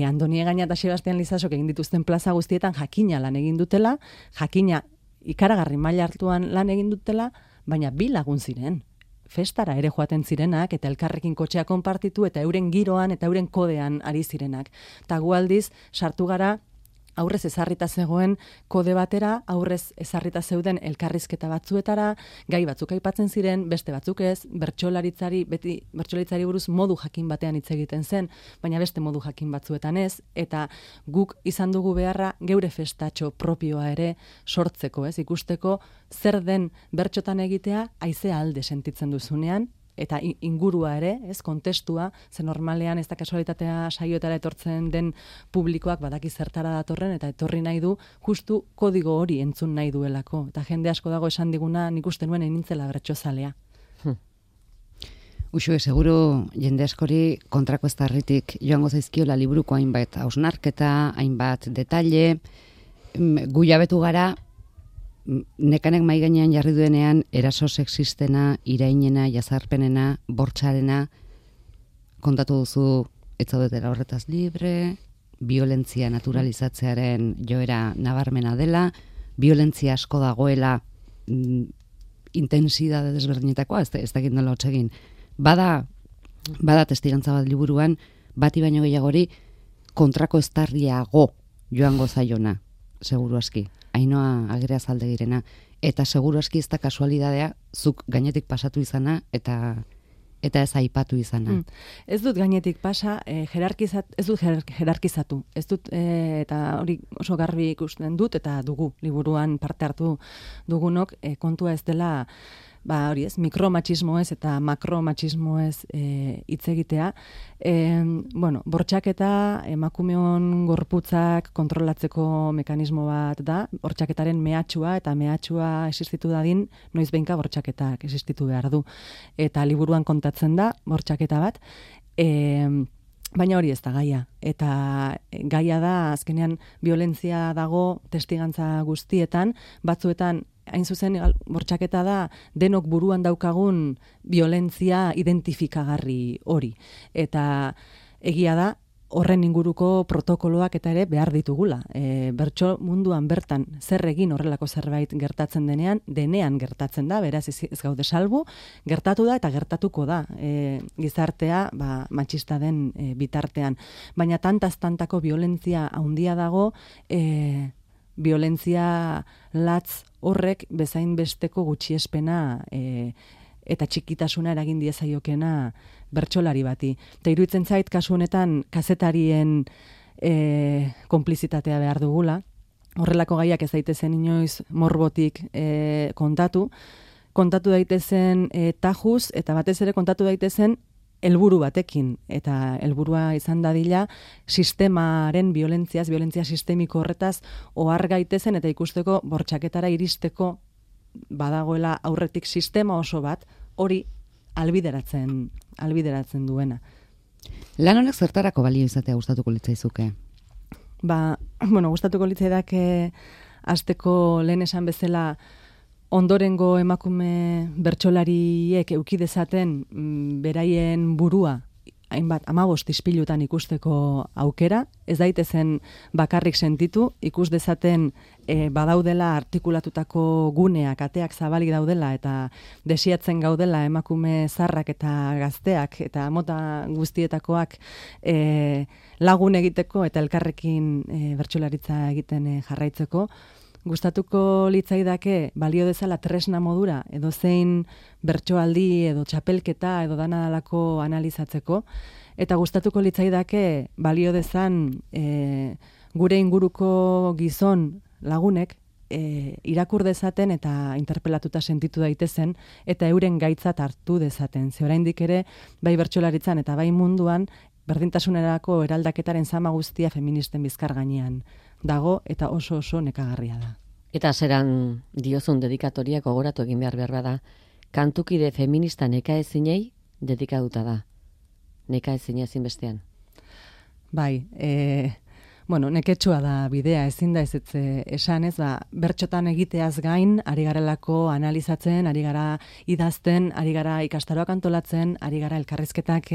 Andoni Egaña eta Sebastian Lizasok egin dituzten plaza guztietan jakina lan egin dutela, jakina ikaragarri maila hartuan lan egin dutela, baina 2 lagun ziren. Festara ere joaten zirenak, eta elkarrekin kotxea konpartitu, eta euren giroan eta euren kodean ari zirenak. Eta gu aldiz, sartu gara, aurrez ezarrita zegoen kode batera, aurrez ezarrita zeuden elkarrizketa batzuetara, gai batzuk aipatzen ziren, beste batzuk ez, beti bertsolaritzari buruz modu jakin batean hitz egiten zen, baina beste modu jakin batzuetan ez, eta guk izan dugu beharra geure festatxo propioa ere sortzeko, ez, ikusteko zer den bertxotan egitea haizea alde sentitzen duzunean, eta ingurua ere, ez, kontestua, ze normalean ez da kasualitatea saioetara etortzen den publikoak badaki zertara datorren, eta etorri nahi du, justu kodigo hori entzun nahi duelako. Eta jende asko dago esan diguna, nik uste nuen nintzela bertsozalea. Uxue, seguru jende askori kontrako eztarritik joango zaizkiola liburuko hainbat hausnarketa, hainbat detalle, gu jabetu gara, nekanek mai gainean jarri duenean eraso sexistena, irainena, jazarpenena, bortxarena, kontatu duzu ez zaudetela horretaz libre, violentzia naturalizatzearen joera nabarmena dela, violentzia asko dagoela intensidade desberdinetakoa, ez dakit nola hotsegin. Bada testigantza bat liburuan, bati baino gehiagori kontrako eztarriago joango zaiona, seguru aski. Ainoa Agerea Zaldegirena, eta seguru aski ez da kasualidadea zuk gainetik pasatu izana eta ez aipatu izana. Ez dut gainetik pasa, ez dut jerarkizatu. Ez dut, eta hori oso garbi ikusten dut, eta dugu liburuan parte hartu dugunok, kontua ez dela hori ez, mikromatxismoez eta makromatxismoez hitz egitea. Bortxaketa emakumeon gorputzak kontrolatzeko mekanismo bat da, bortxaketaren mehatxua, eta mehatxua existitu dadin, noiz behinka bortxaketak existitu behar du. Eta liburuan kontatzen da, bortxaketa bat, baina hori ez da gaia. Eta gaia da, azkenean, violentzia dago testigantza guztietan, batzuetan, hain zuzen, bortxaketa da, denok buruan daukagun violentzia identifikagarri hori. Eta egia da, horren inguruko protokoloak eta ere behar ditugula. Bertso munduan bertan zer egin horrelako zerbait gertatzen denean gertatzen da, beraz ez gaude salbu, gertatu da eta gertatuko da gizartea matxista den bitartean. Baina tantaz-tantako violentzia handia dago, violentzia latz horrek bezain besteko gutxiespena eta txikitasuna eragin diezaiokena bertsolari bati. Eta iruditzen zait, kasu honetan, kazetarien konplizitatea behar dugula. Horrelako gaiak ez daitezen inoiz morbotik kontatu daitezen tajuz, eta batez ere kontatu daitezen helburu batekin, eta helburua izan dadila sistemaren violentzia sistemiko horretaz ohar gaitezen eta ikusteko bortxaketara iristeko badagoela aurretik sistema oso bat hori albideratzen duena. Lan honek zertarako balio izatea gustatuko litzaizuke? Gustatuko litzaidake hasteko lehen esan bezala ondorengo emakume bertsolariek eduki dezaten beraien burua hainbat 15 ispilutan ikusteko aukera, ez daitezen bakarrik sentitu, ikus dezaten badaudela artikulatutako guneak, ateak zabalik daudela eta desiatzen gaudela emakume zarrak eta gazteak eta mota guztietakoak lagun egiteko eta elkarrekin bertsolaritza egiten jarraitzeko. Gustatuko litzaidake balio dezala tresna modura edo zein bertsoaldi edo txapelketa edo dana dalako analizatzeko, eta gustatuko litzaidake balio dezan gure inguruko gizon lagunek irakur dezaten eta interpelatuta sentitu daitezen eta euren gaitzat hartu dezaten. Ze oraindik ere bai bertsolaritzan eta bai munduan berdintasunerako eraldaketaren zama guztia feministen bizkar gainean dago eta oso nekagarria da. Eta zeran diozun dedikatoria gogoratu egin behar da, kantukide feminista nekaezinei dedikatuta da. Nekaezina ezinbestean. Bai, neketsua da bidea, ezin da ez esan ez, bertxotan egiteaz gain, ari garelako analizatzen, ari gara idazten, ari gara ikastaroak antolatzen, ari gara elkarrizketak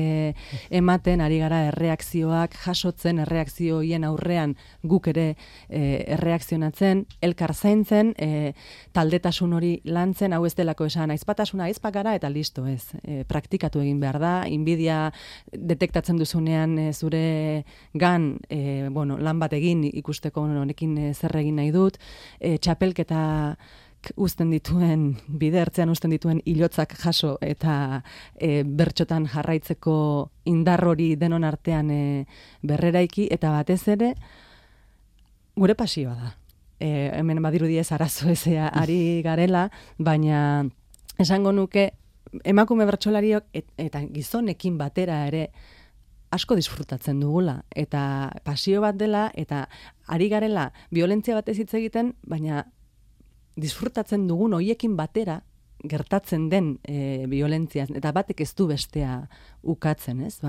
ematen, ari gara erreakzioak jasotzen, erreakzioien aurrean guk ere erreakzionatzen, elkar zaintzen, taldetasun hori lantzen, hau ez delako esan, aizpatasuna aizpakara eta listo ez. Praktikatu egin behar da, inbidia detektatzen duzunean zure gan, lan bat egin ikusteko honekin zer egin nahi dut, txapelketa uzten dituen, bide ertzean uzten dituen ilotzak jaso eta bertxotan jarraitzeko indar hori denon artean berreraiki, eta batez ere gure pasioa da. Hemen badirudi ez arazo ezea ari garela, baina esango nuke emakume bertsolariok eta gizonekin batera ere asko disfrutatzen dugula, eta pasio bat dela, eta ari garela violentzia batez hitz egiten, baina disfrutatzen dugun hoiekin batera gertatzen den violentzia, eta batek ez du bestea ukatzen, ez?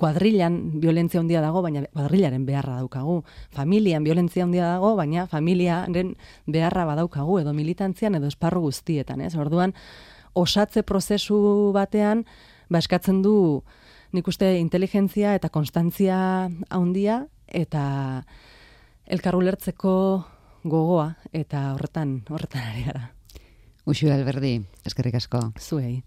Kuadrilan violentzia handia dago, baina kuadrilaren beharra daukagu. Familian violentzia handia dago, baina familiaren beharra badaukagu, edo militantzian, edo esparru guztietan, ez? Orduan, osatze prozesu batean, eskatzen du nik uste inteligentzia eta konstantzia handia eta elkar ulertzeko gogoa, eta horretan ari gara. Uxue Alberdi, eskerrik asko. Zuei.